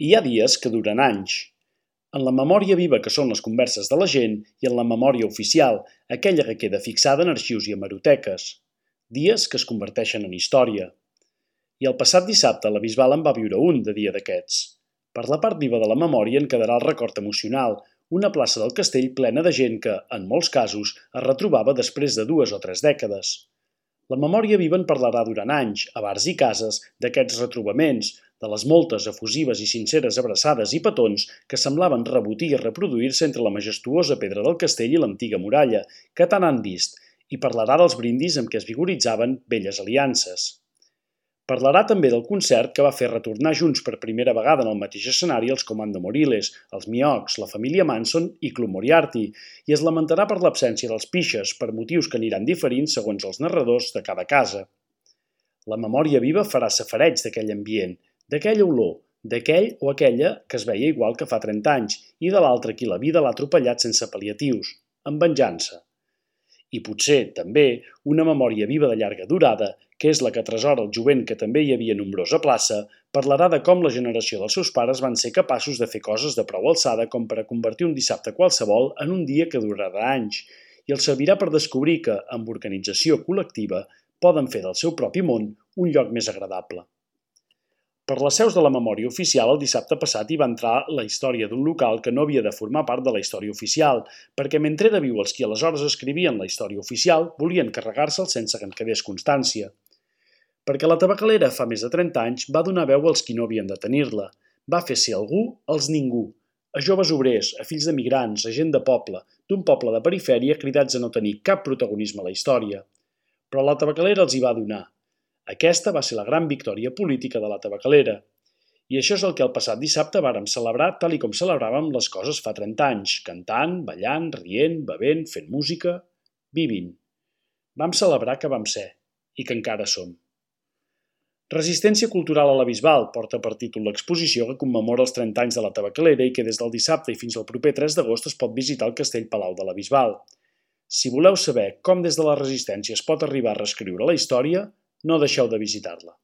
Hi ha dies que duren anys. En la memòria viva que són les converses de la gent i en la memòria oficial, aquella que queda fixada en arxius i hemeroteques. Dies que es converteixen en història. I el passat dissabte la Bisbal en va viure un de dia d'aquests. Per la part viva de la memòria en quedarà el record emocional, una plaça del castell plena de gent que, en molts casos, es retrobava després de 2 o 3 dècades. La memòria viva en parlarà durant anys, a bars i cases, d'aquests retrobaments, de les moltes efusives i sinceres abraçades i petons que semblaven rebotir i reproduir-se entre la majestuosa pedra del castell i l'antiga muralla, que tant han vist, i parlarà dels brindis amb què es vigoritzaven velles aliances. Parlarà també del concert que va fer retornar junts per primera vegada en el mateix escenari els Comando Moriles, els Miocs, la família Manson i Club Moriarty, i es lamentarà per l'absència dels Pixes, per motius que aniran diferint segons els narradors de cada casa. La memòria viva farà safareig d'aquell ambient, d'aquella olor, d'aquell o aquella que es veia igual que fa 30 anys i de l'altre qui la vida l'ha atropellat sense pal·liatius, amb venjança. I potser, també, una memòria viva de llarga durada, que és la que atresora el jovent que també hi havia nombrosa plaça, parlarà de com la generació dels seus pares van ser capaços de fer coses de prou alçada com per a convertir un dissabte qualsevol en un dia que durarà anys, i els servirà per descobrir que, amb organització col·lectiva, poden fer del seu propi món un lloc més agradable. Per les seus de la memòria oficial, el dissabte passat hi va entrar la història d'un local que no havia de formar part de la història oficial, perquè mentre era viu els qui aleshores escrivien la història oficial volien carregar-se'l sense que en quedés constància. Perquè la tabacalera fa més de 30 anys va donar veu als qui no havien de tenir-la, va fer ser algú els ningú, a joves obrers, a fills d'emigrants, a gent de poble, d'un poble de perifèria cridats a no tenir cap protagonisme a la història. Però la tabacalera els hi va donar. Aquesta va ser la gran victòria política de la tabacalera. I això és el que el passat dissabte vàrem celebrar tal i com celebràvem les coses fa 30 anys, cantant, ballant, rient, bevent, fent música, vivint. Vam celebrar que vam ser, i que encara som. Resistència cultural a la Bisbal porta per títol l'exposició que commemora els 30 anys de la tabacalera i que des del dissabte i fins al proper 3 d'agost es pot visitar al Castell Palau de la Bisbal. Si voleu saber com des de la resistència es pot arribar a reescriure la història, no deixeu de visitar-la.